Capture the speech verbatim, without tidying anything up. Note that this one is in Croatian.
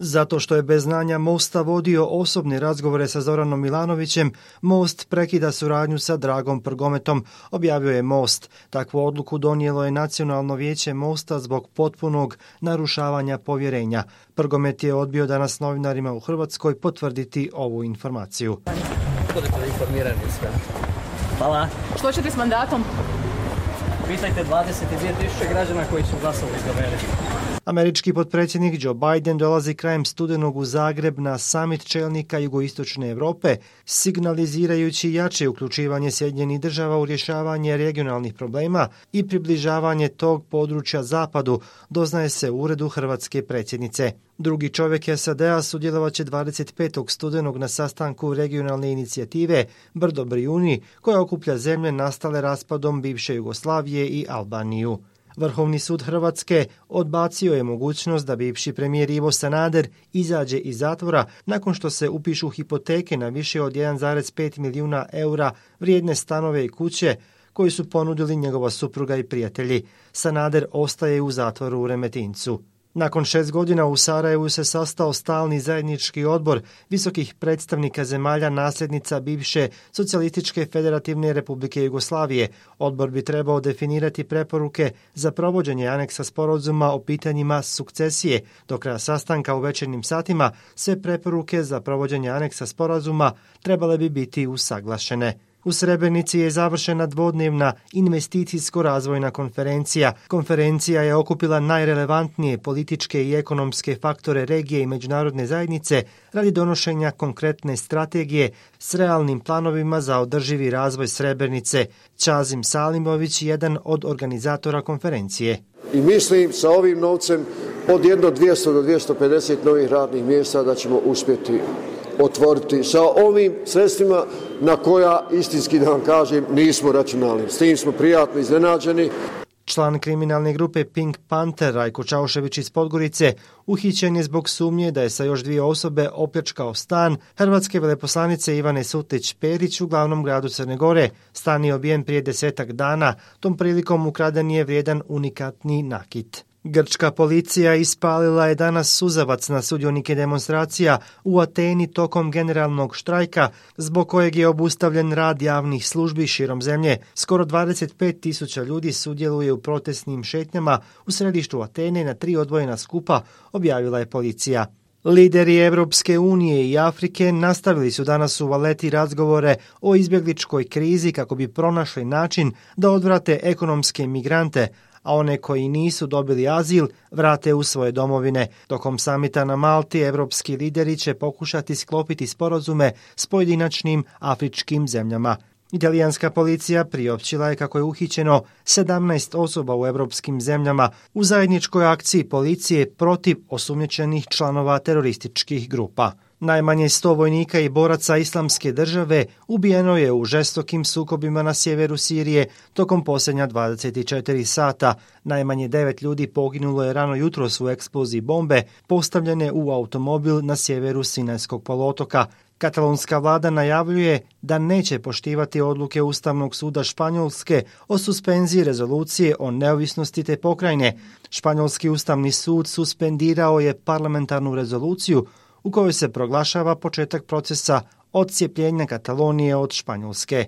Zato što je bez znanja Mosta vodio osobne razgovore sa Zoranom Milanovićem, Most prekida suradnju sa Dragom Prgometom, objavio je Most. Takvu odluku donijelo je Nacionalno vijeće Mosta zbog potpunog narušavanja povjerenja. Prgomet je odbio danas novinarima u Hrvatskoj potvrditi ovu informaciju. Budete informirani sve. Hvala. Što ćete s mandatom? Pitajte dvadeset dvije tisuće građana koji su glasali za mene. Američki potpredsjednik Joe Biden dolazi krajem studenog u Zagreb na samit čelnika jugoistočne Europe, signalizirajući jače uključivanje Sjedinjenih država u rješavanje regionalnih problema i približavanje tog područja zapadu, doznaje se u uredu hrvatske predsjednice. Drugi čovjek S A D-a sudjelovat će dvadeset petog studenog na sastanku regionalne inicijative Brdo Brijuni, koja okuplja zemlje nastale raspadom bivše Jugoslavije i Albaniju. Vrhovni sud Hrvatske odbacio je mogućnost da bivši premijer Ivo Sanader izađe iz zatvora nakon što se upišu hipoteke na više od jedan zarez pet milijuna eura vrijedne stanove i kuće koji su ponudili njegova supruga i prijatelji. Sanader ostaje u zatvoru u Remetincu. Nakon šest godina u Sarajevu se sastao stalni zajednički odbor visokih predstavnika zemalja nasljednica bivše Socijalističke federativne republike Jugoslavije. Odbor bi trebao definirati preporuke za provođenje aneksa sporazuma o pitanjima sukcesije. Do kraja sastanka u večernjim satima sve preporuke za provođenje aneksa sporazuma trebale bi biti usaglašene. U Srebrenici je završena dvodnevna investicijsko-razvojna konferencija. Konferencija je okupila najrelevantnije političke i ekonomske faktore regije i međunarodne zajednice radi donošenja konkretne strategije s realnim planovima za održivi razvoj Srebrenice. Čazim Salimović, jedan od organizatora konferencije. I mislim sa ovim novcem od jedno dvjesto do dvjesto pedeset novih radnih mjesta da ćemo uspjeti otvoriti sa ovim sredstvima na koja, istinski da vam kažem, nismo računali. S tim smo prijatno iznenađeni. Član kriminalne grupe Pink Panther Rajko Čaušević iz Podgorice uhićen je zbog sumnje da je sa još dvije osobe opljačkao stan hrvatske veleposlanice Ivane Sutlić-Perić u glavnom gradu Crne Gore. Stan je obijen prije desetak dana, tom prilikom ukraden je vrijedan unikatni nakit. Grčka policija ispalila je danas suzavac na sudionike demonstracija u Ateni tokom generalnog štrajka, zbog kojeg je obustavljen rad javnih službi širom zemlje. Skoro dvadeset pet tisuća ljudi sudjeluje u protestnim šetnjama u središtu Atene na tri odvojena skupa, objavila je policija. Lideri Europske unije i Afrike nastavili su danas u Valeti razgovore o izbjegličkoj krizi kako bi pronašli način da odvrate ekonomske migrante, a one koji nisu dobili azil vrate u svoje domovine. Tokom samita na Malti evropski lideri će pokušati sklopiti sporazume s pojedinačnim afričkim zemljama. Italijanska policija priopćila je kako je uhićeno sedamnaest osoba u evropskim zemljama u zajedničkoj akciji policije protiv osumnjičenih članova terorističkih grupa. Najmanje sto vojnika i boraca Islamske države ubijeno je u žestokim sukobima na sjeveru Sirije tokom posljednja dvadeset četiri sata. Najmanje devet ljudi poginulo je rano jutros u eksploziji bombe postavljene u automobil na sjeveru Sinajskog poluotoka. Katalonska vlada najavljuje da neće poštivati odluke Ustavnog suda Španjolske o suspenziji rezolucije o neovisnosti te pokrajine. Španjolski Ustavni sud suspendirao je parlamentarnu rezoluciju u kojoj se proglašava početak procesa odcijepljenja Katalonije od Španjolske.